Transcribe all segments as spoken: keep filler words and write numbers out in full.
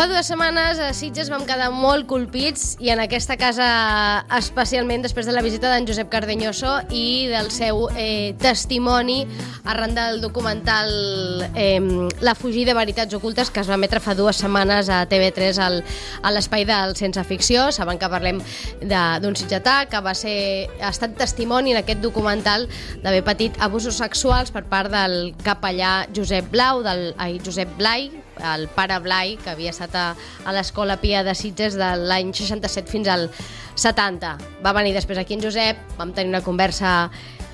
Fa dues setmanes a Sitges vam quedar molt colpits i en aquesta casa especialment després de la visita d'en Josep Cardeñoso i del seu eh, testimoni arran del documental eh, La fugida de veritats ocultes que es va emetre fa dues setmanes a T V tres al, a l'espai del Sense Ficció. Saben que parlem d'un sitgetà que va ser, ha estat testimoni en aquest documental d'haver patit abusos sexuals per part del capellà Josep Blau, del, ai, Josep Blai, el pare Blai, que havia estat a, a l'Escola Pia de Sitges de l'any seixanta-set fins al setanta. Va venir després aquí en Josep, vam tenir una conversa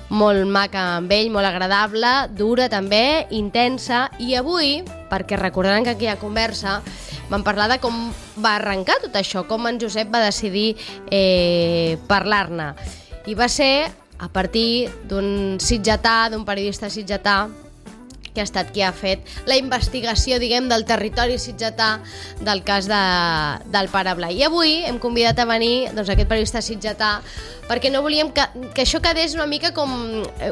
molt maca amb ell, molt agradable, dura també, intensa, i avui, perquè recordaran que aquella conversa vam parlar de com va arrencar tot això, com en Josep va decidir eh, parlar-ne. I va ser a partir d'un sitgetà, d'un periodista sitgetà, que ha estat qui ha fet la investigació, diguem, del territori sitgetà del cas de, del pare Blai. I avui hem convidat a venir doncs, aquest periodista sitgetà perquè no volíem que, que això quedés una mica com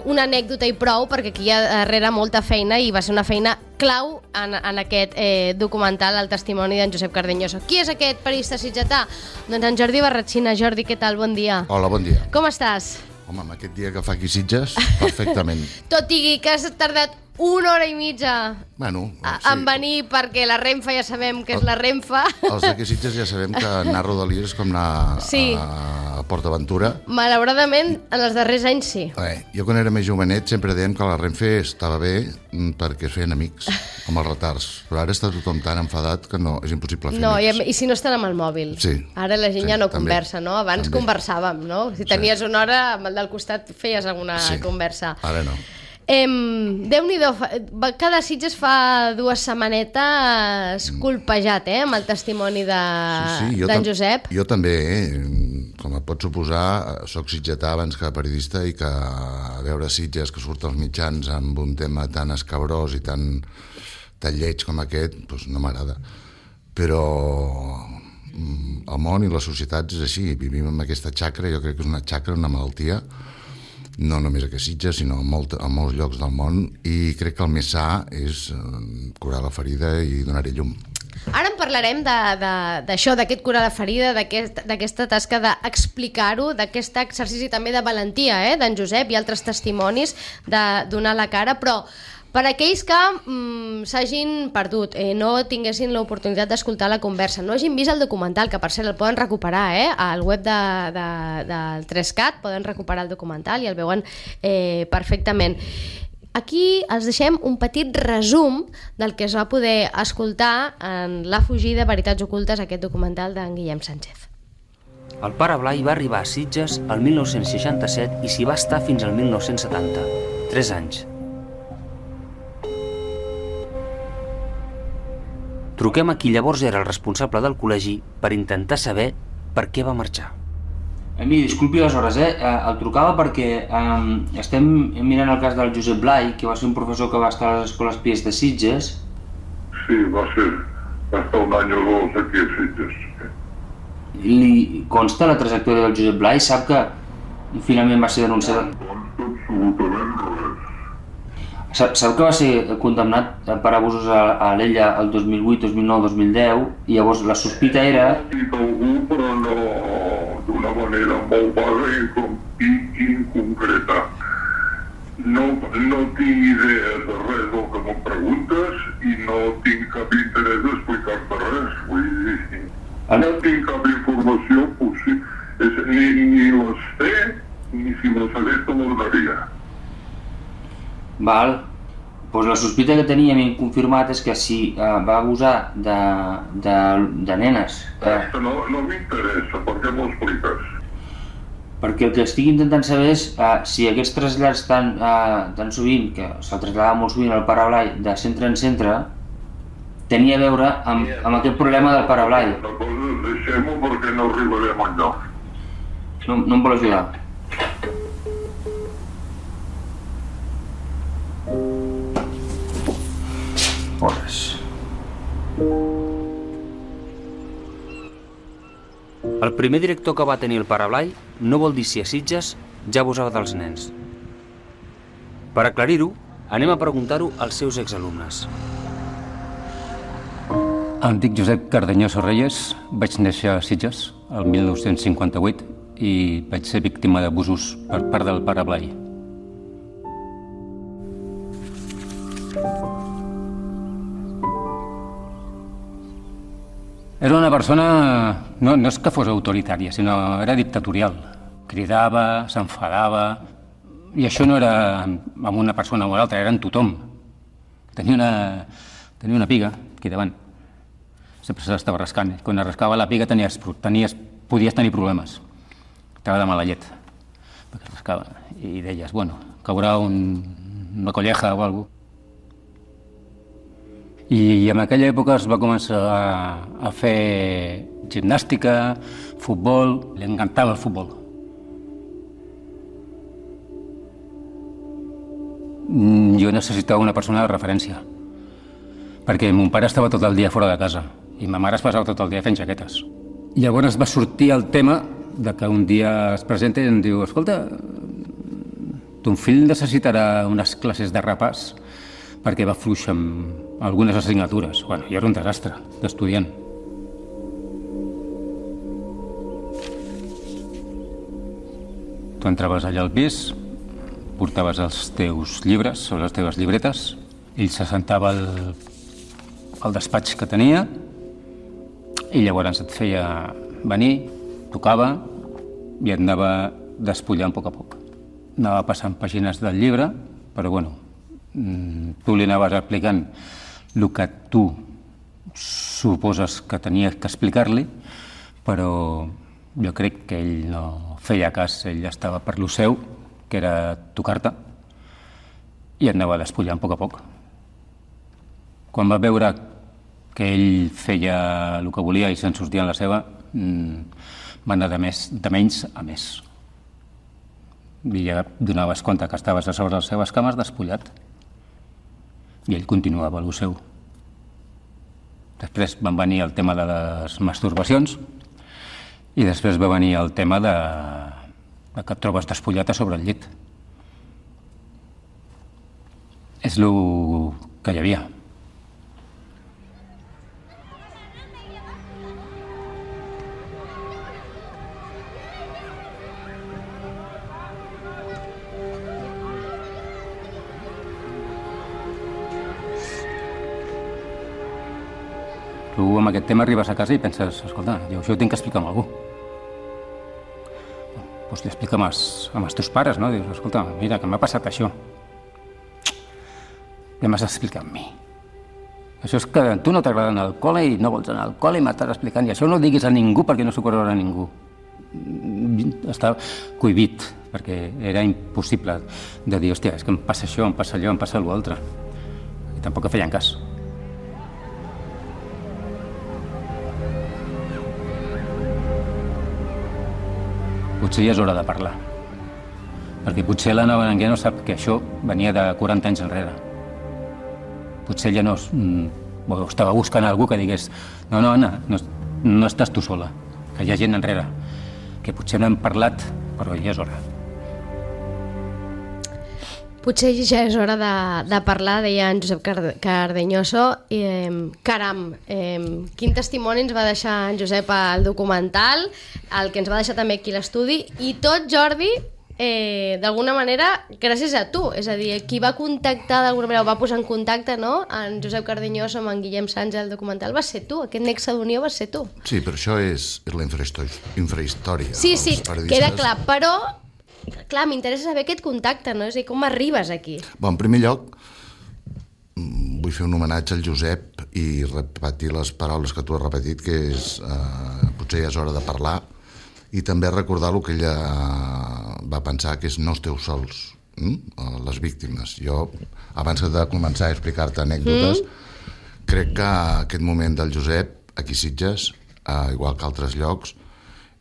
una anècdota i prou, perquè aquí hi ha darrere molta feina i va ser una feina clau en, en aquest eh, documental, el testimoni d'en Josep Cardeñoso. Qui és aquest periodista sitgetà? Doncs en Jordi Barratxina. Jordi, què tal? Bon dia. Hola, bon dia. Com estàs? Home, amb aquest dia que fa aquí Sitges, perfectament. Tot i que has tardat una hora i mitja bueno, a, sí. en venir, perquè la Renfe ja sabem que és la Renfe. Els d'aquí Sitges ja sabem que anar a Rodalies és com anar sí. a, a PortAventura. Malauradament, en els darrers anys sí. Eh, jo quan era més jovenet sempre dèiem que la Renfe estava bé perquè es feien amics, com els retards. Però ara està tothom tan enfadat que no, és impossible fer no, amics. I, i si no estan amb el mòbil. Sí. Ara la gent sí, ja no també, conversa, no? Abans també. conversàvem, no? Si tenies sí. una hora, amb el del costat feies alguna sí. conversa. Ara no. Eh, Déu-n'hi-do, cada Sitges fa dues setmanetes colpejat, eh, amb el testimoni de, sí, sí, d'en Josep. Jo també, eh, com et pots suposar, soc sitgetà abans que periodista i que veure Sitges que surt als mitjans amb un tema tan escabrós i tan, tan lleig com aquest, doncs no m'agrada. Però el món i la societat és així, vivim en aquesta xacra, jo crec que és una xacra, una malaltia, no només a Sitges, sinó a, molt, a molts llocs del món, i crec que el més sa és curar la ferida i donar-hi llum. Ara en parlarem d'això, d'aquest curar la ferida, d'aquesta aquest, tasca d'explicar-ho, d'aquest exercici també de valentia eh, d'en Josep i altres testimonis de donar la cara, però per aquells que mm, s'hagin perdut, eh, no tinguessin l'oportunitat d'escoltar la conversa, no hagin vist el documental, que per cert el poden recuperar eh, al web de, de, del tres cat, poden recuperar el documental i el veuen eh, perfectament. Aquí els deixem un petit resum del que es va poder escoltar en La fugida de veritats ocultes, aquest documental d'en Guillem Sánchez. El pare Blai va arribar a Sitges el mil nou-cents seixanta-set i s'hi va estar fins al mil nou-cents setanta, tres anys. Truquem a qui llavors era el responsable del col·legi per intentar saber per què va marxar. Miri, disculpi les hores, eh? El trucava perquè eh, estem mirant el cas del Josep Blai, que va ser un professor que va estar a les escoles Pies de Sitges. Sí, va ser. Va estar un any o dos aquí a Sitges. Li consta la trajectòria del Josep Blai? Sap que finalment va ser denunciat? No consta absolutament res. Sap que va ser condemnat per abusos a l'Ella el dos mil vuit, dos mil nou, dos mil deu, i llavors la sospita era... Ha dit algú, però no d'una manera molt vaga i inconcreta. No, no tinc idea de res del que me'n preguntes i no tinc cap interès d'explicar-te res. Vull dir, no tinc cap informació possible, ni, ni les sé, ni si les hagués te les daria. Val, doncs la sospita que teníem inconfirmat és que si uh, va abusar de, de, de nenes... Eh... No, no m'interessa, per què m'ho expliques? Perquè el que estic intentant saber és uh, si aquests trasllats tan, uh, tan sovint, que se'l traslladava molt sovint al pare Blai de centre en centre, tenia a veure amb, amb aquest problema del pare Blai. La cosa, deixem-ho perquè no arribarem enlloc. No, no em vol ajudar? Hores. El primer director que va tenir el pare Blai no vol dir si a Sitges ja abusava dels nens. Per aclarir-ho, anem a preguntar-ho als seus exalumnes. Em dic Josep Cardeñoso Reyes, vaig néixer a Sitges el mil nou-cents cinquanta-vuit i vaig ser víctima d'abusos per part del pare Blai. Era una persona, no, no és que fos autoritària, sinó era dictatorial. Cridava, s'enfadava, i això no era amb una persona o l'altra, era en tothom. Tenia una, tenia una piga aquí davant. Sempre se l'estava rascant. Quan es rascava la piga tenies, tenies, podies tenir problemes. Estava de mala llet, perquè es rascava. I deies, bueno, caurà un, una colleja o alguna cosa. I, I en aquella època es va començar a, a fer gimnàstica, futbol, li encantava el futbol. Jo necessitava una persona de referència, perquè mon pare estava tot el dia fora de casa i ma mare es passava tot el dia fent jaquetes. Llavors va sortir el tema de que un dia es presenta i em diu, escolta, ton fill necessitarà unes classes de repàs perquè va fluix amb algunes assignatures. Bueno, jo era un desastre d'estudiant. Tu entraves allà al pis, portaves els teus llibres o les teves llibretes, ell se sentava al, al despatx que tenia i llavors et feia venir, tocava i et anava despullant a poc a poc. Anava passant pàgines del llibre, però bueno, tu li anaves explicant el que tu suposes que tenies que explicar-li, però jo crec que ell no feia cas, ell estava per lo seu, que era tocar-te, i et anava despullant a poc a poc. Quan va veure que ell feia el que volia i se'n sortia en la seva, va anar de, més, de menys a més. I ja donaves compte que estaves a sobre les seves cames despullat. I ell continuava el seu. Després van venir el tema de les masturbacions i després va venir el tema de, de que et trobes despullat a sobre el llit. És el que hi havia. Tu amb aquest tema arribes a casa i penses, escolta, jo això ho tinc que explicar amb algú. Doncs li explica amb els, amb els teus pares, no? Dius, escolta, mira, que m'ha passat això. Ja m'has d'explicar amb mi. Això és que a tu no t'agrada anar al col·le i no vols anar al col·le i m'estàs explicant. I això no ho diguis a ningú perquè no s'ho correrà a ningú. Està cohibit, perquè era impossible de dir, hòstia, és que em passa això, em passa allò, em passa allò altre. I tampoc feien cas. Potser ja és hora de parlar, perquè potser l'Anna Berenguer no sap que això venia de quaranta anys enrere. Potser ella no mm, estava buscant algú que digués no, no, Anna, no, no estàs tu sola, que hi ha gent enrere, que potser no hem parlat, però ja és hora. Potser ja és hora de, de parlar, deia en Josep Cardeñoso. I, eh, caram, eh, quin testimoni ens va deixar en Josep al documental, el que ens va deixar també aquí a l'estudi, i tot, Jordi, eh, d'alguna manera, gràcies a tu. És a dir, qui va contactar d'alguna manera, o va posar en contacte, no?, en Josep Cardeñoso amb en Guillem Sánchez al documental, va ser tu. Aquest nexe d'unió va ser tu. Sí, però això és, és la infrahistòria. Sí, sí, queda clar, però... Clar, m'interessa saber aquest contacte, no? És a dir, com arribes aquí? Bon, en primer lloc, vull fer un homenatge al Josep i repetir les paraules que tu has repetit, que és, eh, potser ja és hora de parlar, i també recordar el que ella va pensar, que és no esteu sols, hm? les víctimes. Jo, abans de començar a explicar-te anècdotes, mm. crec que aquest moment del Josep, aquí a Sitges, eh, igual que altres llocs,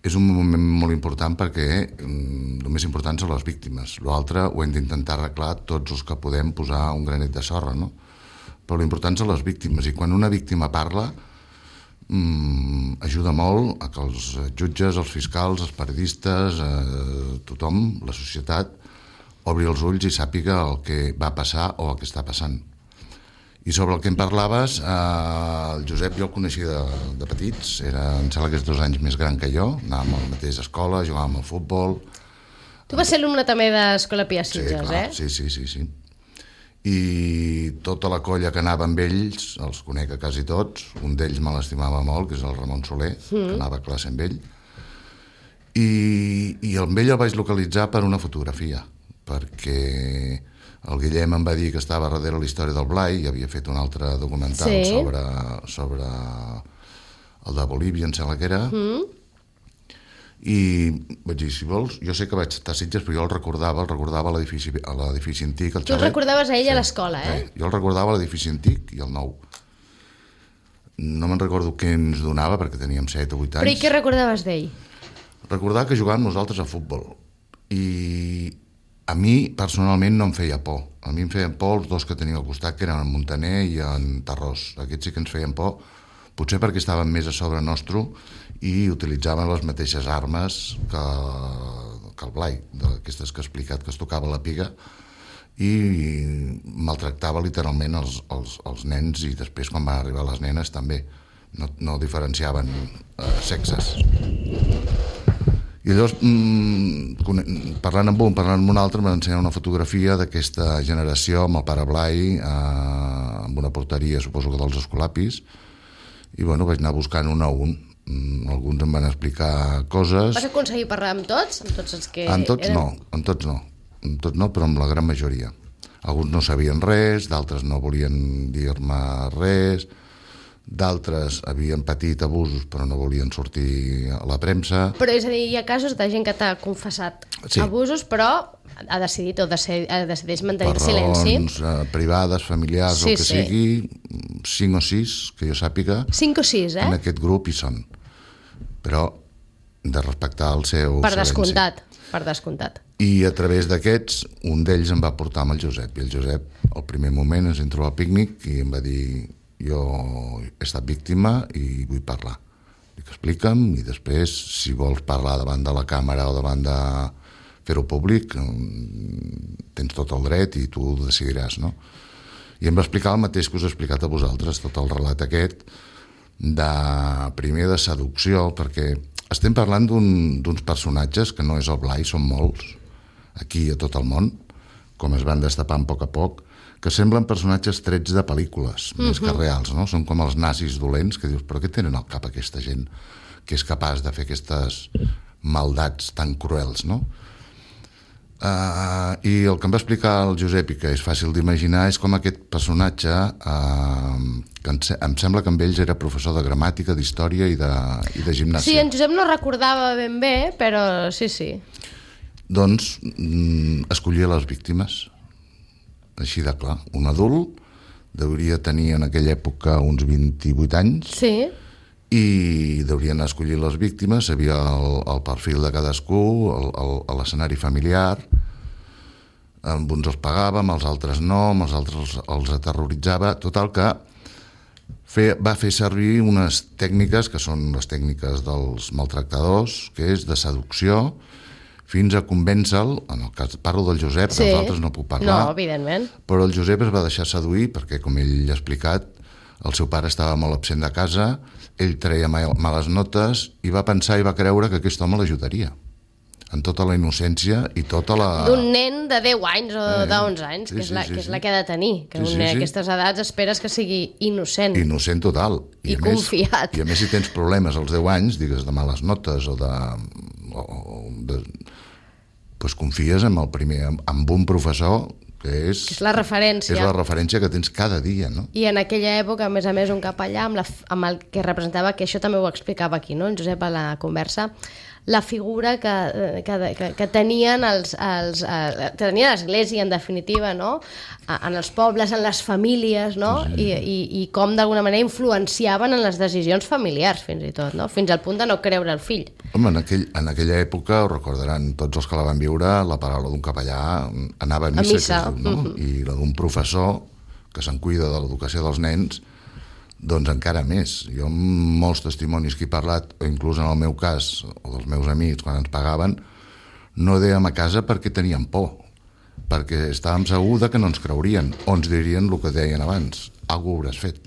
és un moment molt important perquè el més important són les víctimes. L'altre ho hem d'intentar arreglar tots els que podem posar un granet de sorra, no? Però l'important són les víctimes, i quan una víctima parla mmm, ajuda molt a que els jutges, els fiscals, els periodistes, eh, tothom, la societat, obri els ulls i sàpiga el que va passar o el que està passant. I sobre el que em parlaves, eh, el Josep jo el coneixia de, de petits, era, em sembla que és dos anys més gran que jo, anàvem a la mateixa escola, jugàvem al futbol. Tu vas ser alumne també d'Escola Pia Sitges, sí, clar, eh? Sí, sí, sí, sí. I tota la colla que anava amb ells, els conec a quasi tots, un d'ells me l'estimava molt, que és el Ramon Soler, mm. que anava a classe amb ell, i, i amb ell el vaig localitzar per una fotografia, perquè el Guillem em va dir que estava darrere la història del Blai i havia fet un altre documental sí. sobre, sobre el de Bolívia, em sembla que era, mm. i vaig dir, si vols, jo sé que vaig estar a Sitges, però jo el recordava, el recordava a l'edifici, a l'edifici antic, el Tu el recordaves a ell sí, a l'escola, eh? Sí, jo el recordava a l'edifici antic i el nou. No me'n recordo què ens donava, perquè teníem set o vuit anys. Però i què recordaves d'ell? Recordava que jugàvem nosaltres a futbol, i a mi, personalment, no em feia por. A mi em feien por els dos que tenia al costat, que eren en Montaner i en Tarrós. Aquests sí que ens feien por, potser perquè estaven més a sobre nostre i utilitzaven les mateixes armes que, que el Blai, d'aquestes que he explicat, que es tocava la piga, i maltractava literalment els, els, els nens, i després, quan van arribar les nenes, també. No, no diferenciaven eh, sexes. I llavors, mmm, parlant amb un, parlant amb un altre, m'han ensenyat una fotografia d'aquesta generació amb el pare Blai, eh, amb una porteria, suposo que dels Escolapis, i bueno, vaig anar buscant un a un. Mm, alguns em van explicar coses. Vas aconseguir parlar amb tots? Amb tots els que amb tots eren... no, amb tots no. Amb tots no, però amb la gran majoria. Alguns no sabien res, d'altres no volien dir-me res, d'altres havien patit abusos però no volien sortir a la premsa. Però és a dir, hi ha casos de gent que t'ha confessat sí. abusos, però ha decidit o decidir, decideix mantenir per el silenci. Per raons eh, privades, familiars, sí, el que sí. sigui, cinc o sis, que jo sàpiga, cinc o sis, eh? en aquest grup hi són. Però de respectar el seu per silenci. Descomptat, per descomptat. I a través d'aquests, un d'ells em va portar amb el Josep, i el Josep, al primer moment, ens entró al pícnic i em va dir: jo he estat víctima i vull parlar. Dic, explica'm, i després, si vols parlar davant de la càmera o davant de fer-ho públic, tens tot el dret i tu ho decidiràs, no? I em va explicar el mateix que us he explicat a vosaltres, tot el relat aquest, de primer de seducció, perquè estem parlant d'uns personatges que no és el Blai, són molts, aquí a tot el món, com es van destapant a poc a poc, que semblen personatges trets de pel·lícules, uh-huh. més que reals, no? Són com els nazis dolents, que dius, però què tenen al cap aquesta gent que és capaç de fer aquestes maldats tan cruels, no? Uh, I el que em va explicar el Josep, i que és fàcil d'imaginar, és com aquest personatge, uh, que em, em sembla que amb ells era professor de gramàtica, d'història i de, i de gimnàsia. Sí, en Josep no recordava ben bé, però sí, sí. Doncs mm, escollia les víctimes. Així de clar, un adult deuria tenir en aquella època uns vint-i-vuit anys sí. i deurien escollir les víctimes, sabia el, el perfil de cadascú, l'escenari familiar, amb uns els pagava, amb els altres no, amb els altres els, els aterroritzava, total que fe, va fer servir unes tècniques que són les tècniques dels maltractadors, que és de seducció, fins a convèncer-lo, en el cas parlo del Josep, sí. dels altres no puc parlar, no, evidentment. Però el Josep es va deixar seduir perquè, com ell ha explicat, el seu pare estava molt absent de casa, ell treia males notes i va pensar i va creure que aquest home l'ajudaria, en tota la innocència i tota la... D'un nen de deu anys o eh, d'onze anys, sí, que, és la, sí, sí, que és la que ha de tenir, que sí, un nen sí, sí. a aquestes edats esperes que sigui innocent. Innocent total. I, I Més, confiat. I a més, si tens problemes als deu anys, digues de males notes o de... O, de pues confies en el primer, amb un professor que és, que és la referència. És la referència que tens cada dia, no? I en aquella època, a més a més, un capellà amb, la, amb el que representava, que això també ho explicava aquí, no? En Josep a la conversa, la figura que, que, que, que tenien els, els, eh, que tenia l'Església, en definitiva, no? En els pobles, en les famílies, no? Sí. I, i, i com d'alguna manera influenciaven en les decisions familiars, fins i tot, no? Fins al punt de no creure el fill. Home, en, aquell, en aquella època, ho recordaran tots els que la van viure, la paraula d'un capellà anava a missa, a missa. Que es diu, no? Uh-huh. I la d'un professor que se'n cuida de l'educació dels nens, doncs encara més. Jo amb molts testimonis que he parlat, o inclús en el meu cas, o dels meus amics, quan ens pagaven, no dèiem a casa perquè teníem por, perquè estàvem segurs que no ens creurien, o ens dirien el que deien abans. alguna hauràs fet.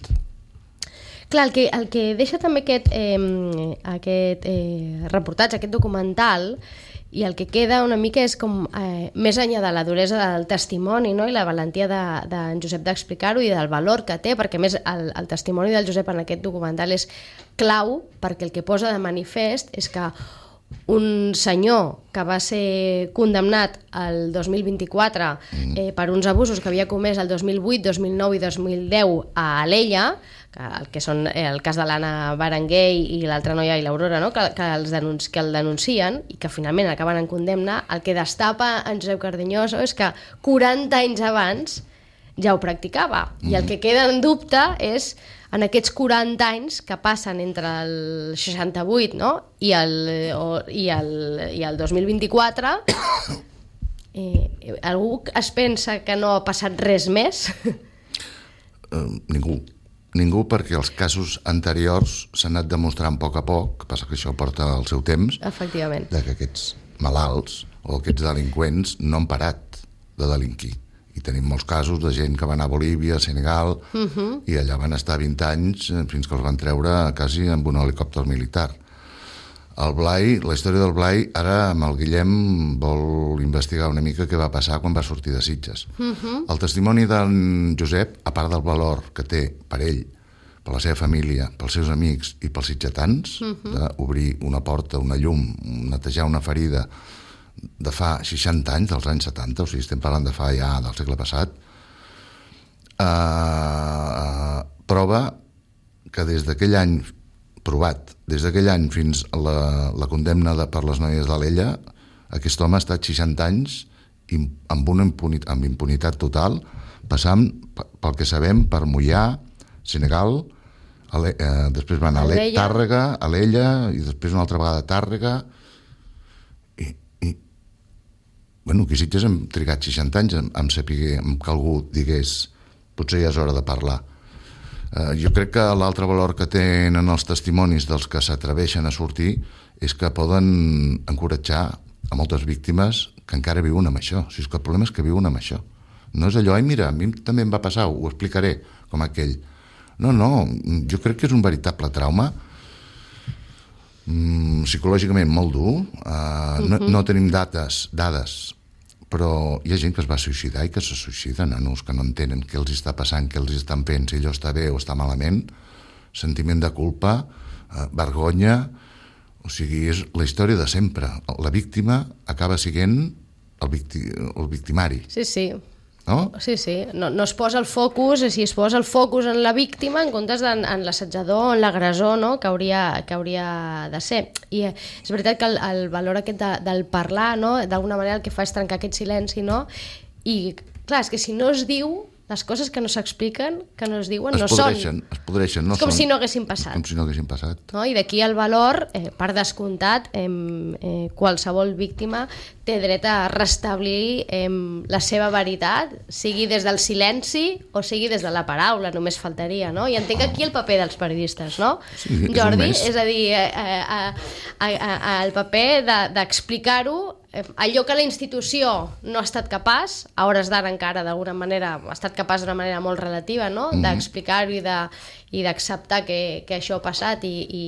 Clar, el que, el que deixa també aquest, eh, aquest eh, reportatge, aquest documental, i el que queda una mica és com eh, més enllà de la duresa del testimoni, no? I la valentia d'en de, de Josep d'explicar-ho i del valor que té, perquè més el, el testimoni del Josep en aquest documental és clau, perquè el que posa de manifest és que un senyor que va ser condemnat el dos mil vint-i-quatre eh, per uns abusos que havia comès el dos mil vuit, dos mil nou i dos mil deu a Alella, que, el que són eh, el cas de l'Anna Berenguer i l'altra noia i l'Aurora, no? que, que, els denunci, que el denuncien i que finalment acaben en condemna, el que destapa en Josep Cardeñoso és que quaranta anys abans ja ho practicava. Mm. I el que queda en dubte és en aquests quaranta anys que passen entre el seixanta-vuit, no? I, el, o, i, el, i el dos mil vint-i-quatre, eh, algú es pensa que no ha passat res més? Uh, ningú. Ningú, perquè els casos anteriors s'han anat demostrant a poc a poc, passa que això porta el seu temps, efectivament, de que aquests malalts o aquests delinqüents no han parat de delinquir. I tenim molts casos de gent que va anar a Bolívia, a Senegal, uh-huh. i allà van estar vint anys fins que els van treure quasi amb un helicòpter militar. El Blai, la història del Blai, ara amb el Guillem vol investigar una mica què va passar quan va sortir de Sitges. Uh-huh. El testimoni d'en Josep, a part del valor que té per ell, per la seva família, pels seus amics i pels sitgetans, uh-huh. d'obrir una porta, una llum, netejar una ferida, de fa seixanta anys, dels anys setanta, o sigui, estem parlant de fa ja del segle passat, eh, prova que des d'aquell any, provat, des d'aquell any fins a la, la condemna de, per les noies d'Alella, aquest home ha estat seixanta anys amb una impunitat, amb impunitat total, passant, pel que sabem, per Moià, Senegal, Ale, eh, després van a Ale, Tàrrega, Alella, i després una altra vegada a Tàrrega. Bueno, aquí Sitges hem trigat seixanta anys en, en saber en que algú digués potser ja és hora de parlar. Eh, jo crec que l'altre valor que tenen els testimonis dels que s'atreveixen a sortir és que poden encoratjar a moltes víctimes que encara viuen amb això. O sigui, que el problema és que viuen amb això. No és allò, ai mira, a mi també em va passar, ho explicaré, com aquell. No, no, jo crec que és un veritable trauma, mm, psicològicament molt dur, uh, uh-huh. no, no tenim dates, dades, però hi ha gent que es va suïcidar i que se suïcida, nanos que no entenen què els està passant, què els estan fent, si allò està bé o està malament, sentiment de culpa, eh, vergonya, o sigui, és la història de sempre. La víctima acaba sent el, victi, el victimari. Sí, sí. No? Sí, sí. No, no es posa el focus, si es posa el focus en la víctima en comptes en, en l'assetjador, en l'agressor, no? que, hauria, que hauria de ser. I és veritat que el, el valor aquest de, del parlar, no? D'alguna manera el que fa és trencar aquest silenci, no? I clar, és que si no es diu, les coses que no s'expliquen, que no es diuen, es no podreixen, són. Es podreixen, no és com són. si no haguessin passat. Com si no haguessin passat. No? I d'aquí el valor, eh, per descomptat, eh, eh, qualsevol víctima té dret a restablir eh, la seva veritat, sigui des del silenci o sigui des de la paraula, només faltaria, no? I entenc aquí el paper dels periodistes, no? Sí, és Jordi, és a dir, eh, eh, eh, eh, el paper de, d'explicar-ho, eh, allò que la institució no ha estat capaç, a hores d'ara encara d'alguna manera ha estat capaç d'una manera molt relativa, no? Mm-hmm. D'explicar-ho i de i d'acceptar que, que això ha passat i, i,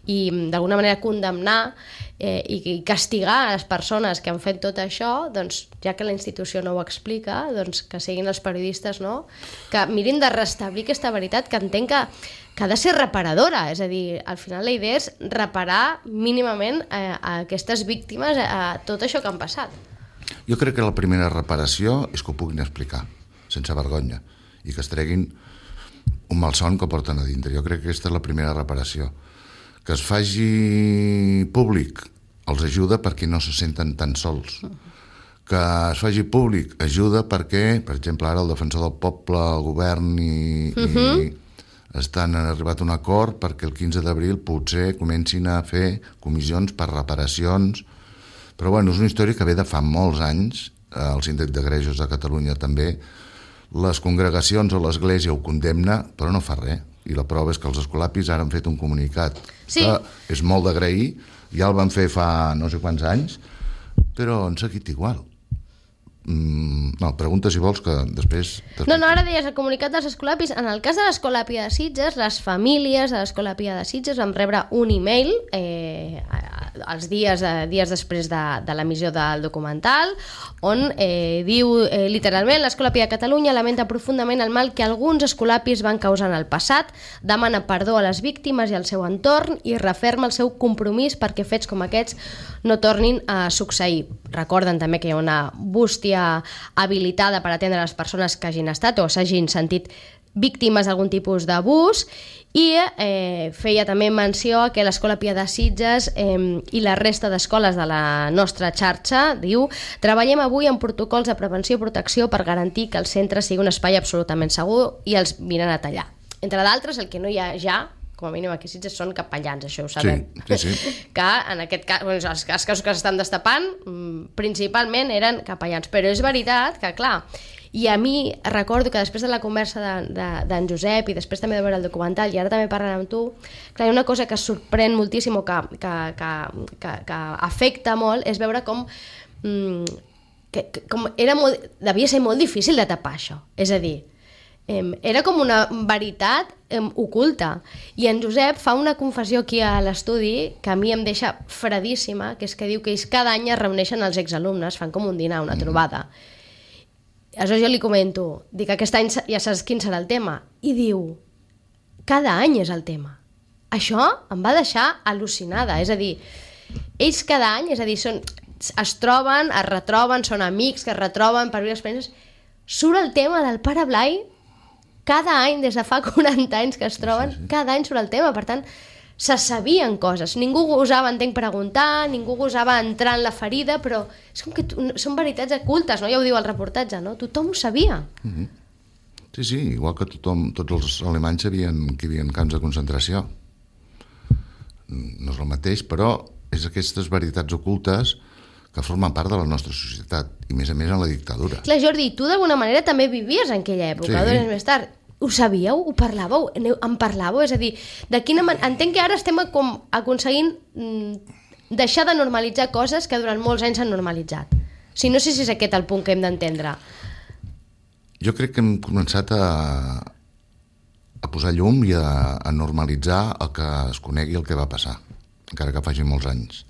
i d'alguna manera condemnar eh, i, i castigar les persones que han fet tot això, doncs ja que la institució no ho explica, doncs que siguin els periodistes, no? Que mirin de restablir aquesta veritat que entenc que, que ha de ser reparadora, és a dir, al final la idea és reparar mínimament eh, a aquestes víctimes a tot això que han passat. Jo crec que la primera reparació és que ho puguin explicar, sense vergonya, i que es treguin un malson que porten a dintre. Jo crec que aquesta és la primera reparació. Que es faci públic els ajuda perquè no se senten tan sols. Que es faci públic ajuda perquè, per exemple, ara el defensor del poble, el govern i, uh-huh. i estan han arribat a un acord perquè el quinze d'abril potser comencin a fer comissions per reparacions. Però bueno, és una història que ve de fa molts anys, el síndic de Greuges de Catalunya també, les congregacions o l'Església ho condemna, però no fa res. I la prova és que els escolapis ara han fet un comunicat sí. que és molt d'agrair, ja el van fer fa no sé quants anys, però han seguit igual. Mm, no, pregunta si vols que després... No, no, ara deies el comunicat dels Escolapis. En el cas de l'Escolàpia de Sitges, les famílies de l'Escolàpia de Sitges van rebre un e-mail eh, els dies, eh, dies després de, de l'emissió del documental, on eh, diu eh, literalment: l'Escolàpia de Catalunya lamenta profundament el mal que alguns escolapis van causar en el passat, demana perdó a les víctimes i al seu entorn i referma el seu compromís perquè fets com aquests no tornin a succeir. Recorden també que hi ha una bústia habilitada per atendre les persones que hagin estat o s'hagin sentit víctimes d'algun tipus d'abús, i eh, feia també menció que l'Escolàpia de Sitges eh, i la resta d'escoles de la nostra xarxa, diu: treballem avui en protocols de prevenció i protecció per garantir que el centre sigui un espai absolutament segur i els vinen a tallar. Entre d'altres, el que no hi ha ja, com a mínim aquí a Sitges, són capellans, això ho sabem. Sí, sí, sí. Que en aquest cas, bueno, els, els casos que s'estan destapant, principalment eren capellans. Però és veritat que, clar, i a mi recordo que després de la conversa d'en de, de, Josep i després també de veure el documental, i ara també parlant amb tu, clar, hi ha una cosa que sorprèn moltíssim o que, que, que, que, que afecta molt, és veure com, mm, que, que, com era molt, devia ser molt difícil de tapar això. És a dir, era com una veritat oculta, i en Josep fa una confessió aquí a l'estudi que a mi em deixa fredíssima, que és que diu que ells cada any es reuneixen els exalumnes, fan com un dinar, una trobada. Aleshores jo li comento, dic, aquest any ja saps quin serà el tema, i diu, cada any és el tema. Això em va deixar al·lucinada, és a dir, ells cada any, és a dir, són, es troben, es retroben, són amics que es retroben per viure experiències, surt el tema del Pare Blai. Cada any, des de fa quaranta anys que es troben, sí, sí. Cada any surt el tema, per tant, se sabien coses. Ningú gosava, entenc, preguntar, ningú gosava entrar en la ferida, però és com que són veritats ocultes, no? Ja ho diu el reportatge, no? Tothom ho sabia. Mm-hmm. Sí, sí, igual que tothom, tots els alemanys sabien que hi havia camps de concentració. No és el mateix, però és aquestes veritats ocultes que formen part de la nostra societat, i més a més en la dictadura. Clar, Jordi, tu d'alguna manera també vivies en aquella època, sí. Dos anys més tard. Ho sabíeu? Ho parlàveu? En parlàveu? És a dir, de quina manera... Entenc que ara estem com aconseguint mm, deixar de normalitzar coses que durant molts anys s'han normalitzat. Si no sé si és aquest el punt que hem d'entendre. Jo crec que hem començat a, a posar llum i a, a normalitzar el que es conegui el que va passar, encara que faci molts anys.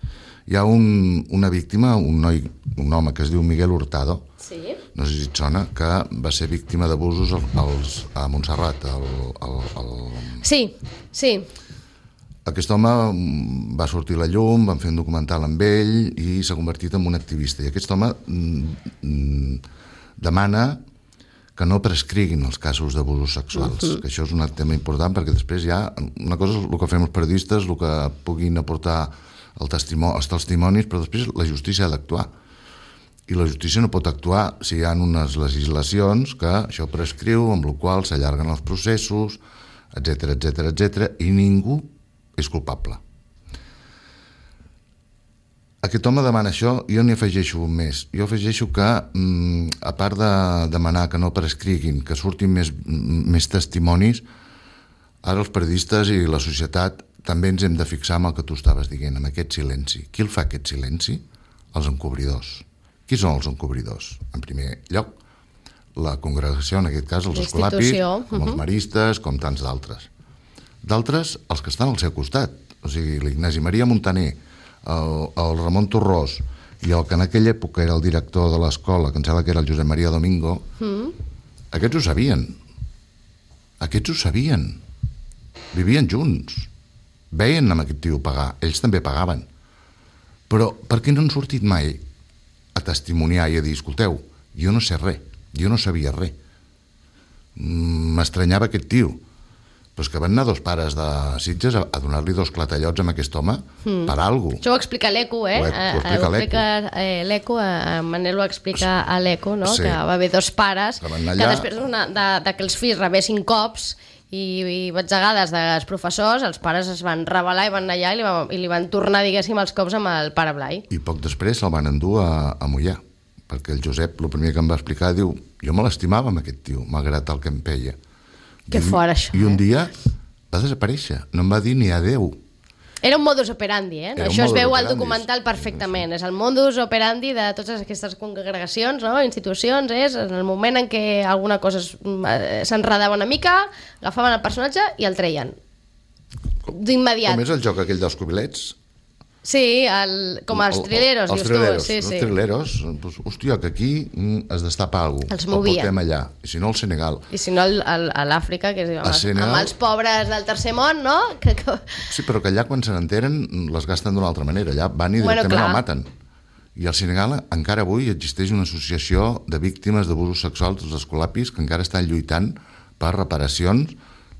Hi ha un, una víctima, un noi, un home que es diu Miguel Hurtado, sí. No sé si et sona, que va ser víctima d'abusos als, a Montserrat. El, el, el... Sí, sí. Aquest home va sortir a la llum, van fer un documental amb ell i s'ha convertit en un activista. I aquest home mm, demana que no prescriguin els casos d'abusos sexuals, uh-huh. Que això és un tema important, perquè després hi ha... Una cosa és el que fem els periodistes, el que puguin aportar el testimoni, els testimonis, però després la justícia ha d'actuar. I la justícia no pot actuar si hi ha unes legislacions que això prescriu, amb la qual s'allarguen els processos, etcètera, etcètera, etcètera, i ningú és culpable. Aquest home demana això, jo n'hi afegeixo un més. Jo afegeixo que, a part de demanar que no prescriguin, que surtin més, més testimonis, ara els periodistes i la societat també ens hem de fixar en el que tu estaves dient, amb aquest silenci. Qui el fa, aquest silenci? Els encobridors. Qui són els encobridors? En primer lloc, la congregació, en aquest cas els escolapis, com els maristes, com tants d'altres. D'altres, els que estan al seu costat, o sigui, l'Ignasi Maria Montaner, el, el Ramon Torrós, i el que en aquella època era el director de l'escola, que em sembla que era el Josep Maria Domingo, mm. Aquests ho sabien. Aquests ho sabien. Vivien junts. Veien amb aquest tio pagar, ells també pagaven. Però per què no han sortit mai a testimoniar i a dir, escolteu, jo no sé res, jo no sabia res. M'estranyava aquest tio. Però és que van anar dos pares de Sitges a, a donar-li dos clatellots amb aquest home mm. per alguna cosa. Això ho explica l'Eco, eh? Ho, ho explica l'Eco. L'Eco, Manel ho explica a l'Eco, no? Sí. Que va haver dos pares que, allà... que després una, de, de que els fills rebessin cops i, i batzegades dels professors, els pares es van rebel·lar i van anar allà i li, van, i li van tornar, diguéssim, els cops amb el Pare Blai. I poc després se'l van endur a, a Mollà, perquè el Josep, el primer que em va explicar, diu, jo me l'estimava amb aquest tio, malgrat el que em peia. Que fort, això. I un dia va desaparèixer, no em va dir ni adeu. Era un modus operandi, eh? Era un Això es modus veu al operandi, documental sí, perfectament. És el modus operandi de totes aquestes congregacions, no? Institucions, és en el moment en què alguna cosa es- s'enredava una mica, agafaven el personatge i el treien. D'immediat. Com és el joc aquell dels cubilets? Sí, el, com els El- trileros, els dius trileros, tu. Sí, els sí. trileros, doncs, hòstia, que aquí mm, es destapa alguna cosa. Els movien. El portem allà, i si no al Senegal. I si no, el, el, a l'Àfrica, que es diu, amb, A els- Senegal. amb els pobres del tercer món, no? Que, que... Sí, però que allà quan se n'enteren les gasten d'una altra manera, allà van i Bueno, directament clar. el maten. I al Senegal encara avui existeix una associació de víctimes d'abusos sexuals dels escolapis que encara estan lluitant per reparacions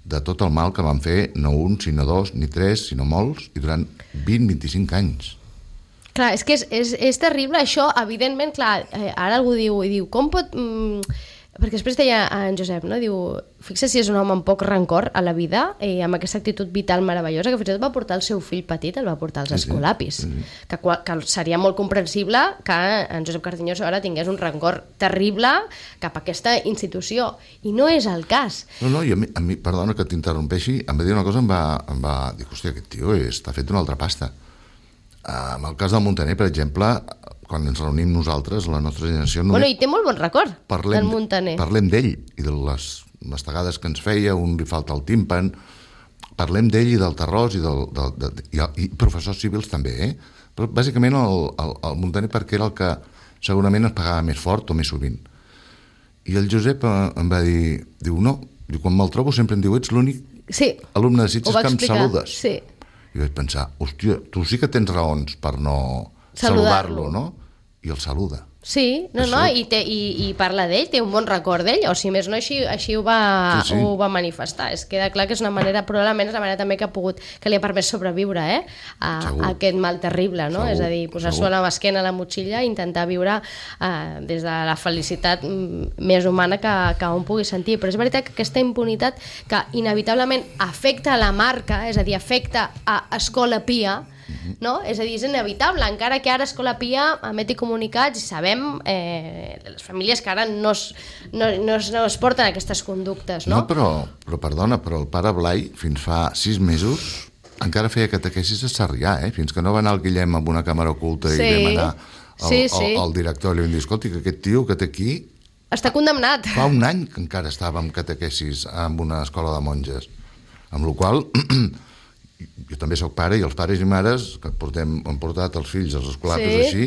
de tot el mal que van fer, no un, sinó dos, ni tres, sinó molts, i durant vint a vint-i-cinc anys. Clar, és que és, és, és terrible això, evidentment, clar, eh, ara algú diu, i diu, com pot... Mm, perquè després deia en Josep, no? Diu, fixa si és un home amb poc rancor a la vida i amb aquesta actitud vital meravellosa que fins i tot va portar el seu fill petit, el va portar als escolapis, sí, sí. Que, qual- que seria molt comprensible que en Josep Cardeñoso ara tingués un rancor terrible cap a aquesta institució, i no és el cas. No, no, i a mi, a mi perdona que t'interrompeixi, em va dir una cosa, em va, em va dir, hòstia, aquest tio està fet una altra pasta. Uh, en el cas del Montaner, per exemple, quan ens reunim nosaltres, la nostra generació... Bueno, només i té molt bon record, parlem, del Montaner. Parlem d'ell i de les mastegades que ens feia, un li falta el tímpan, parlem d'ell i del terròs i, del, del, de, i, i professors civils també, eh? Però bàsicament el, el, el Montaner perquè era el que segurament es pagava més fort o més sovint. I el Josep eh, em va dir, diu, no, diu, quan me'l trobo sempre em diu, ets l'únic Sí, alumne de ho Sitges va que em explicar. saludes. Sí. I vaig pensar, hòstia, tu sí que tens raons per no Saludar-lo. saludar-lo, no? I el saluda. Sí, no, no, Això- i, té, i, i parla d'ell, té un bon record d'ell, o si més no, així, així ho, va, Sí, sí. ho va manifestar. Es queda clar que és una manera, probablement és la manera també que ha pogut, que li ha permès sobreviure, eh? A, Segur. a aquest mal terrible, no? Segur, És a dir, posar-s'ho segur. a la esquena, a la motxilla, i intentar viure eh, des de la felicitat mm, més humana que, que un pugui sentir. Però és veritat que aquesta impunitat que inevitablement afecta a la marca, és a dir, afecta a Escola Pia, no? És a dir, és inevitable, encara que ara Escola Pia emeti comunicats i sabem eh, les famílies que ara no es, no, no, es, no es porten aquestes conductes, no? No, però, però perdona, però el pare Blai fins fa sis mesos encara feia catequesis a Sarrià, eh? Fins que no va anar el Guillem amb una càmera oculta Sí. i vam anar al, Sí, sí. al, al director i li vam dir, escolti, que aquest tio que té aquí Està condemnat. fa un any que encara estava en catequesis en una escola de monges, amb la qual jo també sóc pare i els pares i mares que portem, han portat els fills als escolapis Sí. així,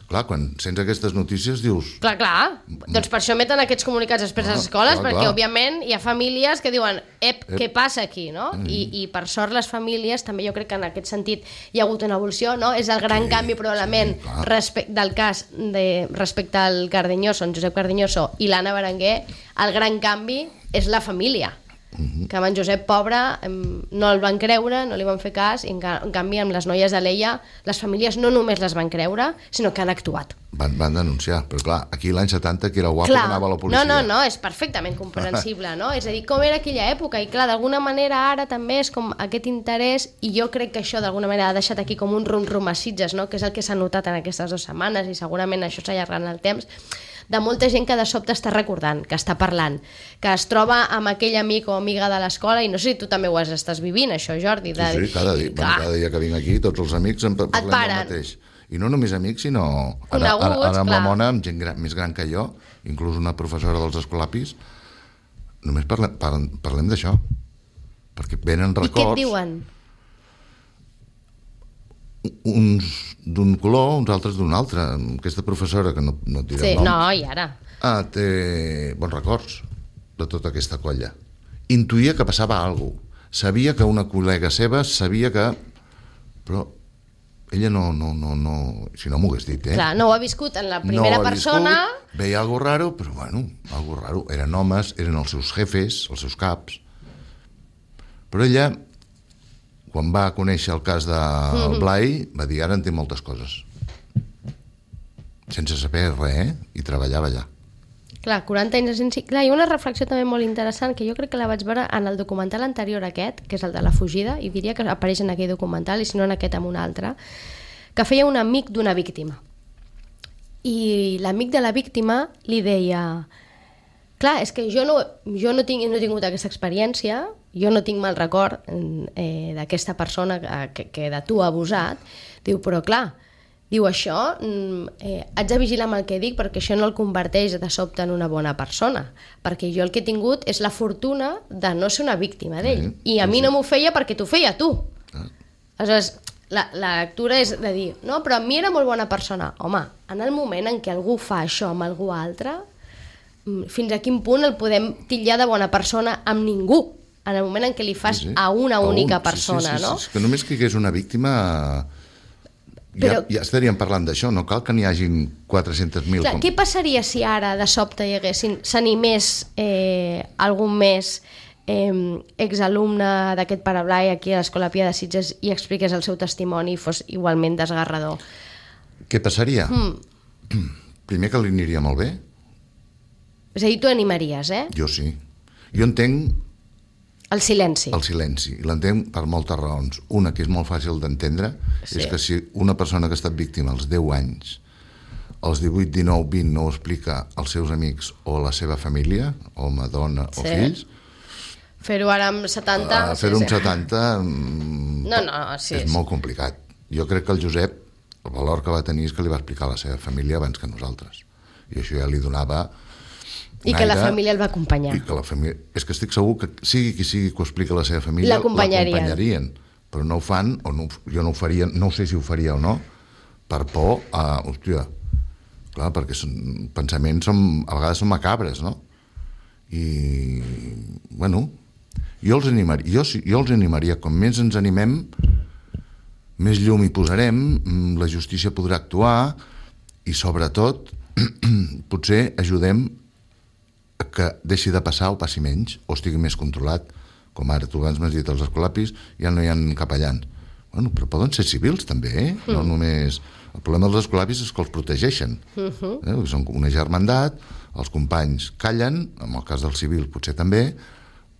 clar, quan sents aquestes notícies dius, Clar, clar. Doncs per això emeten aquests comunicats després a les Ah, escoles, clar, perquè clar. òbviament hi ha famílies que diuen ep, Ep. què passa aquí, no? Mm. I, I per sort les famílies, també jo crec que en aquest sentit hi ha hagut una evolució, no? És el gran Sí, canvi probablement sí, clar. respe del cas de, respecte al Cardeñoso, en Josep Cardeñoso i l'Anna Berenguer, el gran canvi és la família. Mhm. Que amb en Josep pobre em, no el van creure, no li van fer cas, i en, ca en canvi amb les noies de l'Eia les famílies no només les van creure, sinó que han actuat. van, van denunciar, però clar, aquí l'any setanta que era guapo que anava a la policia. No, no, no, és perfectament comprensible, no? És a dir, com era aquella època, i clar, d'alguna manera ara també és com aquest interès, i jo crec que això d'alguna manera ha deixat aquí com un rum-rum a Sitges, no? Que és el que s'ha notat en aquestes dues setmanes, i segurament això s'allargarà en el temps, de molta gent que de sobte està recordant, que està parlant, que es troba amb aquell amic o amiga de l'escola, i no sé si tu també ho has estàs vivint, això, Jordi. De... Sí, sí, cada dia, bueno, cada dia que vinc aquí, tots els amics en parlem del paren. mateix. I no només amics, sinó... Ara, Coneguts, ara, ara amb la clar. Mona, amb gent gran, més gran que jo, inclús una professora dels escolapis, només parlem, parlem, parlem d'això. Perquè venen I què et records, diuen? uns d'un color, uns altres d'un altre. Aquesta professora, que no, no et diré Sí, el nom, no, i ara? ah, té bons records de tota aquesta colla. Intuïa que passava alguna cosa. Sabia que una col·lega seva sabia que... Però ella no, no, no, no... Si no m'ho hagués dit, eh? Clar, no ho ha viscut en la primera no ho ha persona... Viscut, veia algo raro, però bueno, algo raro. Eren homes, eren els seus jefes, els seus caps. Però ella, quan va conèixer el cas del Blai, va dir, ara en té moltes coses. Sense saber res, eh? I treballava allà. Clar, quaranta anys de sensi... Clar, hi ha una reflexió també molt interessant que jo crec que la vaig veure en el documental anterior a aquest, que és el de la fugida, i diria que apareix en aquell documental, i si no en aquest en un altre, que feia un amic d'una víctima. I l'amic de la víctima li deia... Clar, és que jo no, jo no, tinc, no he tingut aquesta experiència, jo no tinc mal record eh, d'aquesta persona que, que de tu ha abusat. Diu, però clar, diu això, eh, haig de vigilar amb el que dic perquè això no el converteix de sobte en una bona persona, perquè jo el que he tingut és la fortuna de no ser una víctima d'ell, mm, i a mi no m'ho feia perquè t'ho feia tu. Ah. Aleshores, la, la lectura és de dir, no, però a mi era molt bona persona. Home, en el moment en què algú fa això amb algú altre, fins a quin punt el podem titllar de bona persona amb ningú, en el moment en què li fas sí, sí. a una a única un. persona, sí, sí, sí, no? Sí, sí. Que només que hi hagués una víctima Però, ja, ja estaríem parlant d'això, no cal que n'hi hagin quatre-cents mil. Com... Què passaria si ara de sobte hi haguessin, s'animés eh, algun més eh, exalumne d'aquest Parablai aquí a l'Escola Pia de Sitges i expliqués el seu testimoni i fos igualment desgarrador? Què passaria? Mm. Primer que li aniria molt bé. És a dir, tu animaries, eh? Jo sí. Jo entenc... El silenci. El silenci. I l'entenc per moltes raons. Una, que és molt fàcil d'entendre, sí. és que si una persona que ha estat víctima als deu anys, als divuit, dinou, vint, no ho explica als seus amics o a la seva família, home, dona o sí. fills... Fer-ho ara amb setanta... Uh, Fer-ho sí, amb sí. setanta... No, no, sí. És molt complicat. Jo crec que el Josep, el valor que va tenir és que li va explicar a la seva família abans que nosaltres. I això ja li donava... I que la família el va acompanyar. I que la família... És que estic segur que sigui qui sigui que ho expliqui a la seva família, l'acompanyarien. Però no ho fan, o no, jo no ho faria, no sé si ho faria o no, per por a... Hòstia, clar, perquè són, pensaments som, a vegades són macabres, no? I, bueno, jo els animaria, jo, jo els animaria, com més ens animem, més llum hi posarem, la justícia podrà actuar i, sobretot, potser ajudem que deixi de passar o passi menys, o estigui més controlat, com ara tu abans m'has dit, els escolapis ja no hi ha capellans. Bueno, però poden ser civils també, eh? Mm. No només... El problema dels escolapis és que els protegeixen. Uh-huh. eh? Són una germandat, els companys callen, en el cas del civil potser també,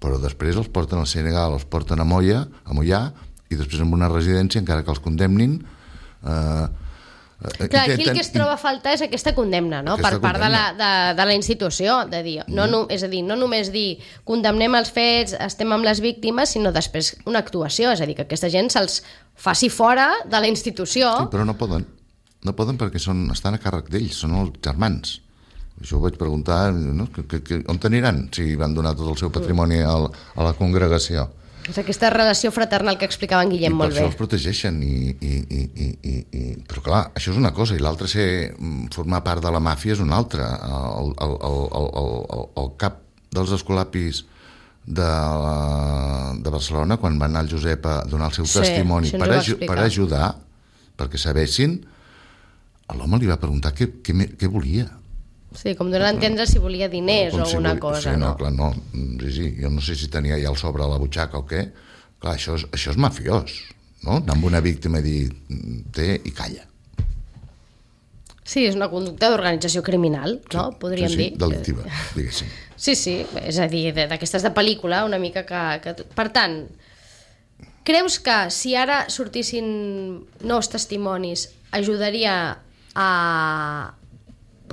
però després els porten al Senegal, els porten a Moia, a Moià, i després en una residència, encara que els condemnin... Eh, Clar, aquí el que es troba a faltar és aquesta condemna, no? Aquesta per part condemna. de, la, de, de la institució, de dir, no, no, és a dir, no només dir condemnem els fets, estem amb les víctimes, sinó després una actuació, és a dir, que aquesta gent se'ls faci fora de la institució. Sí, però no poden, no poden perquè són, estan a càrrec d'ells, són els germans. Això ho vaig preguntar, no? que, que, que, on t'aniran si van donar tot el seu patrimoni a, a la congregació? És aquesta relació fraternal que explicava en Guillem I molt bé. I per això els protegeixen. I, i, i, i, i, i... Però clar, això és una cosa, i l'altra, ser, formar part de la màfia és una altra. El, el, el, el, el, el cap dels escolapis de, de Barcelona, quan va anar el Josep a donar el seu sí, testimoni per, aju per ajudar, perquè sabessin, l'home li va preguntar què, què, què volia. Sí, com donar a entendre si volia diners o si alguna volia, cosa, sí, no? no? Clar, no, sí, sí, jo no sé si tenia ja el sobre a la butxaca o què. Clar, això és, això és mafiós, no? Anar amb una víctima i dir, té i calla. Sí, és una conducta d'organització criminal, no? Sí, podríem sí, sí, dir. delictiva, diguéssim. Sí, sí, és a dir, d'aquestes de pel·lícula, una mica que, que... Per tant, creus que si ara sortissin nous testimonis ajudaria a...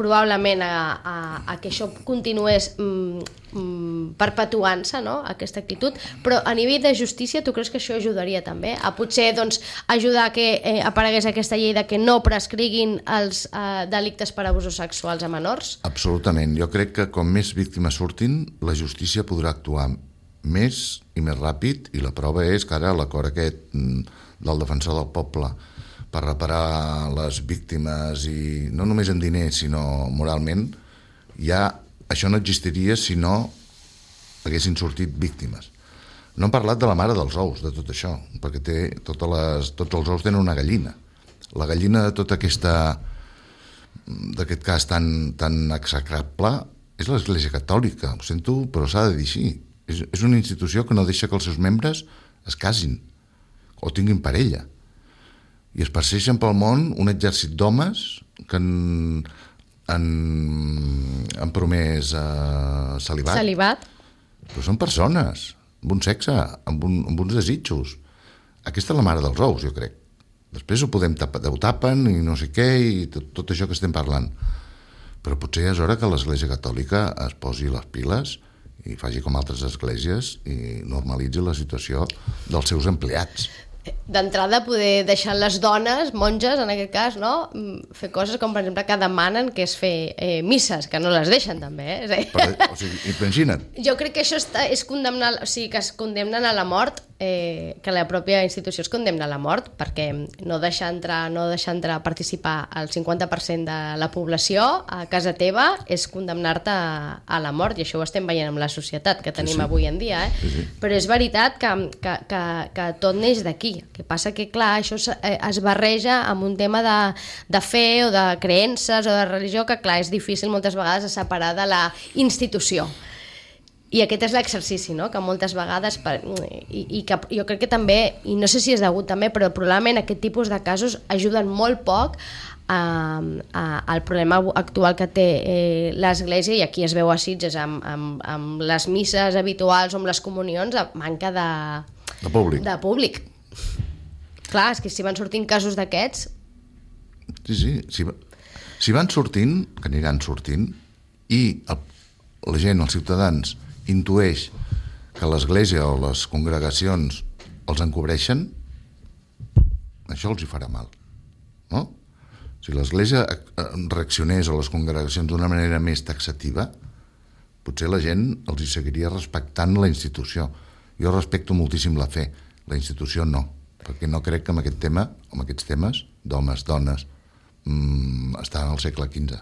probablement a, a, a que això continués mm, mm, perpetuant-se, no?, aquesta actitud, però a nivell de justícia tu creus que això ajudaria també a potser doncs, ajudar a que eh, aparegués aquesta llei de que no prescriguin els eh, delictes per abusos sexuals a menors? Absolutament. Jo crec que com més víctimes surtin, la justícia podrà actuar més i més ràpid, i la prova és que ara l'acord aquest del defensor del poble per reparar les víctimes, i no només en diners, sinó moralment, ja això no existiria si no haguessin sortit víctimes. No hem parlat de la mare dels ous, de tot això, perquè té totes les, tots els ous tenen una gallina. La gallina de tota aquesta, d'aquest cas tan, tan execrable, és l'Església Catòlica, ho sento, però s'ha de dir així. És, és una institució que no deixa que els seus membres es casin o tinguin parella. I es persegueixen pel món un exèrcit d'homes que han, han, han promès uh, celibat. Celibat. Però són persones, amb un sexe, amb, un, amb uns desitjos. Aquesta és la mare dels ous, jo crec. Després ho podem tapar, ho tapen i no sé què, i tot, tot això que estem parlant. Però potser ja és hora que l'Església Catòlica es posi les piles i faci com altres esglésies i normalitzi la situació dels seus empleats. D'entrada, poder deixar les dones, monges, en aquest cas, no? Fer coses com, per exemple, que demanen, que és fer eh, misses, que no les deixen, també, eh? Però, o sigui, imagina't. Jo crec que això està, és condemnar, o sigui, que es condemnen a la mort, eh, que la pròpia institució es condemna a la mort, perquè no deixar entrar, no deixar entrar a participar el cinquanta per cent de la població a casa teva és condemnar-te a, a la mort, i això ho estem veient amb la societat que tenim sí, sí. avui en dia, eh? Sí, sí. Però és veritat que, que, que, que tot neix d'aquí. El que passa que, clar, això es barreja amb un tema de, de fe o de creences o de religió que, clar, és difícil moltes vegades de separar de la institució. I aquest és l'exercici, no?, que moltes vegades, per, i, i que jo crec que també, i no sé si és degut també, però probablement aquest tipus de casos ajuden molt poc a, a, al problema actual que té eh, l'Església, i aquí es veu a Sitges amb, amb, amb les misses habituals o amb les comunions, manca de, de públic. De públic. Clar, és que si van sortint casos d'aquests... Sí, sí, si, si van sortint, que aniran sortint, i el, la gent, els ciutadans, intueix que l'Església o les congregacions els encobreixen, això els hi farà mal, no? Si l'Església reaccionés a les congregacions d'una manera més taxativa, potser la gent els hi seguiria respectant la institució. Jo respecto moltíssim la fe, la institució no, perquè no crec que amb aquest tema, amb aquests temes d'homes, dones, mmm, estan al segle quinze.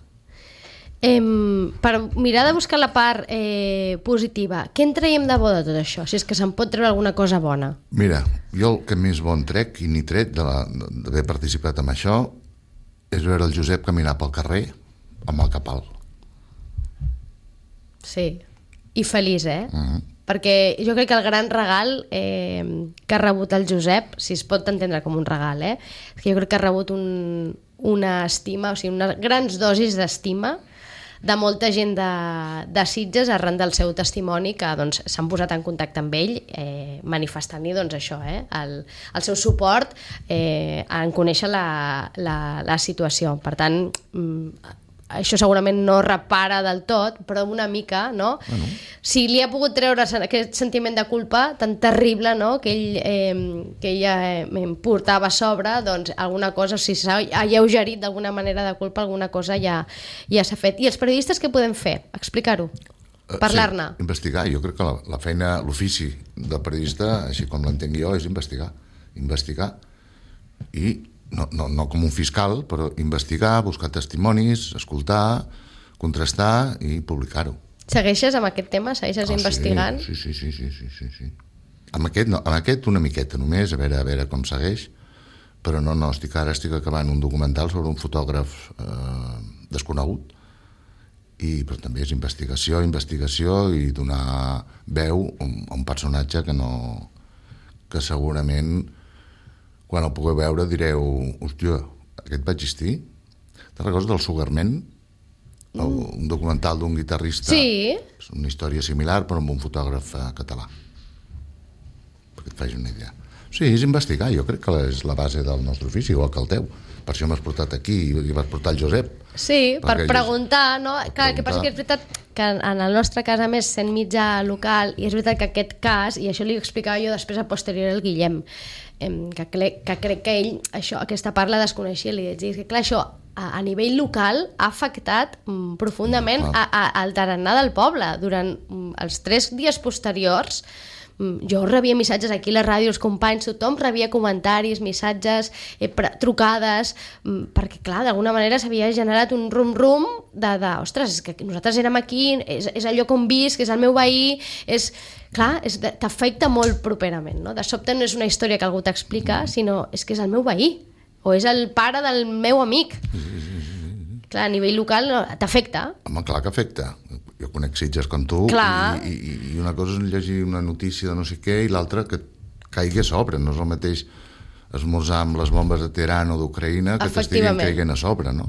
Eh, per mirar de buscar la part eh, positiva, què en traiem de bo de tot això? Si és que se'n pot treure alguna cosa bona. Mira, jo el que més bon trec i ni tret d'haver participat en això és veure el Josep caminar pel carrer amb el cap alt. Sí, i feliç, eh? Uh-huh. Perquè jo crec que el gran regal eh, que ha rebut el Josep, si es pot entendre com un regal, eh, que jo crec que ha rebut un, una estima, o sigui, unes grans dosis d'estima de molta gent de, de Sitges arran del seu testimoni, que doncs, s'han posat en contacte amb ell eh, manifestant-hi doncs, això, eh, el, el seu suport eh, en conèixer la, la, la situació. Per tant, mm, això segurament no repara del tot, però una mica, no? Bueno. Si li ha pogut treure aquest sentiment de culpa tan terrible, no?, que ell, eh, que ella eh, portava a sobre, doncs alguna cosa, si s'ha alleugerit d'alguna manera de culpa, alguna cosa ja, ja s'ha fet. I els periodistes què podem fer? Explicar-ho? Parlar-ne? Sí, investigar. Jo crec que la, la feina, l'ofici del periodista, així com l'entenc jo, és investigar. Investigar. I No, no, no com un fiscal, però investigar, buscar testimonis, escoltar, contrastar i publicar-ho. Segueixes amb aquest tema? Segueixes oh, investigant? Sí, sí, sí, sí, sí, sí, sí. Amb aquest, no, amb aquest una miqueta només, a veure, a veure com segueix, però no, no, estic, ara estic acabant un documental sobre un fotògraf eh, desconegut, i, però també és investigació, investigació i donar veu a un personatge que no, que segurament quan el pugueu veure direu, hòstia, aquest va existir? Te'n recordes del Sugarman? Mm. El, un documental d'un guitarrista. Sí. És una història similar, però amb un fotògraf eh, català. Perquè et facis una idea. Sí, és investigar, jo crec que és la base del nostre ofici, igual que el teu. Per això m'has portat aquí i vas portar el Josep. Sí, per preguntar, no? Clar, el que passa que és veritat que en el nostre cas, a més, sent mitjà local, i és veritat que aquest cas, i això li explicava jo després a posteriori al Guillem, que crec que, crec que ell això, aquesta part la desconeixia, li vaig dir que clar, això a, a nivell local ha afectat mm, profundament a, a, al tarannà del poble. Durant mm, els tres dies posteriors mm, jo rebia missatges aquí a la ràdio, els companys, tothom rebia comentaris, missatges, eh, pre- trucades, mm, perquè clar, d'alguna manera s'havia generat un rum-rum de, de, ostres, és que nosaltres érem aquí, és, és el lloc on visc, és el meu veí, és... Clar, és, t'afecta molt properament, no? De sobte no és una història que algú t'explica, sinó és que és el meu veí, o és el pare del meu amic. Clar, a nivell local no, t'afecta. Home, clar que afecta. Jo conec Sitges com tu, i, i, i una cosa és llegir una notícia de no sé què i l'altra que caigui a sobre. No és el mateix esmorzar amb les bombes de Teheran o d'Ucraïna que t'estiguin caigant a sobre, no?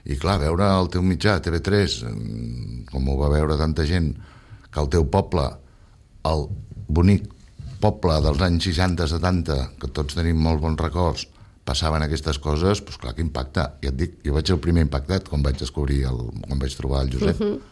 I clar, veure el teu mitjà, T V tres, com ho va veure tanta gent, que el teu poble, el bonic poble dels anys seixanta setanta, que tots tenim molt bons records, passaven aquestes coses, doncs clar que impacta. Ja et dic, jo vaig ser el primer impactat quan vaig descobrir, el, quan vaig trobar el Josep. Uh-huh.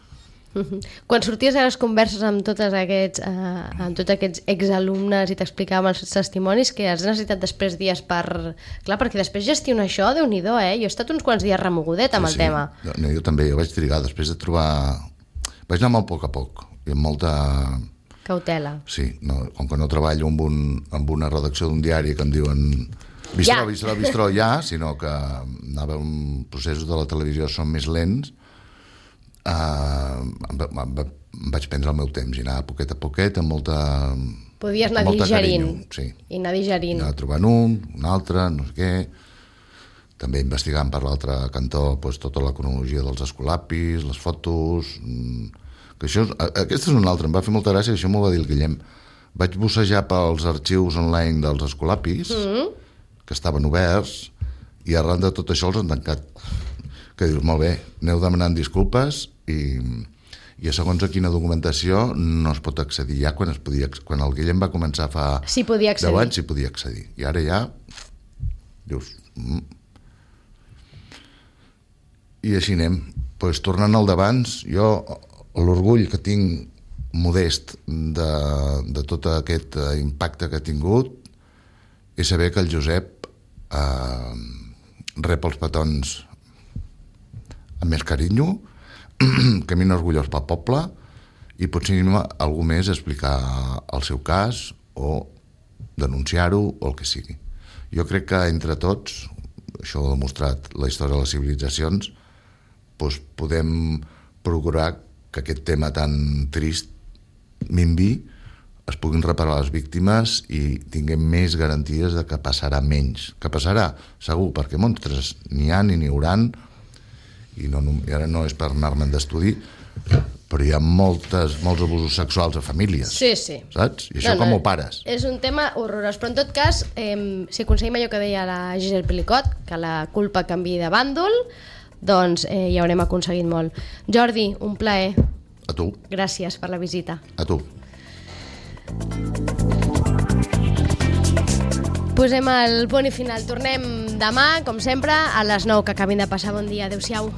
Uh-huh. Quan sorties a les converses amb tots aquests, uh, amb tots aquests exalumnes i t'explicàvem els testimonis, que has necessitat després dies per... Clar, perquè després gestionar això, Déu-n'hi-do, eh? Jo he estat uns quants dies remogudet amb sí, el tema. No, jo també, jo vaig trigar, després de trobar... Vaig anar molt a poc a poc, i amb molta... Cautela. Sí, no, com que no treballo amb, un, amb una redacció d'un diari que em diuen... Bistró, ja. bistró, bistró, ja, sinó que anava en processos de la televisió són més lents, uh, em, em, em vaig prendre el meu temps i anar poquet a poquet amb molta... Podies anar digerint. Sí. I anar digerint. Anar trobant un, un altre, no sé què... També investigant per l'altre cantó doncs, tota la cronologia dels escolapis, les fotos... Que això, aquesta és una altra, em va fer molta gràcia, això m'ho va dir el Guillem. Vaig bussejar pels arxius online dels escolapis, mm-hmm. que estaven oberts, i arran de tot això els han tancat. Que dius, molt bé, aneu demanant disculpes i, i a segons a quina documentació no es pot accedir. Ja quan, es podia, quan el Guillem va començar fa sí, podia deu anys s'hi podia accedir. I ara ja dius... Mm. I així anem. Pues, tornant al d'abans, jo l'orgull que tinc modest de, de tot aquest impacte que ha tingut és saber que el Josep eh, rep els petons amb més carinyo, camina orgullós pel poble i potser algú més explicar el seu cas o denunciar-ho o el que sigui. Jo crec que entre tots, això ho ha demostrat la història de les civilitzacions, doncs podem procurar que aquest tema tan trist minvi, es puguin reparar les víctimes i tinguem més garanties de que passarà menys. Que passarà, segur, perquè monstres n'hi ha ni n'hi hauran, i, no, i ara no és per anar-me'n d'estudi, però hi ha moltes, molts abusos sexuals a famílies. Sí, sí. Saps? I això no, com no, ho pares? És un tema horrorós, però en tot cas, eh, si aconseguim allò que deia la Giselle Pelicot, que la culpa canviï de bàndol, doncs eh, ja haurem aconseguit molt. Jordi, un plaer. A tu. Gràcies per la visita. A tu. Posem el punt i final. Tornem demà, com sempre, a les nou. Que acabin de passar bon dia. Adéu-siau.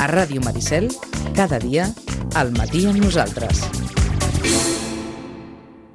A Ràdio Maricel, cada dia, al matí amb nosaltres.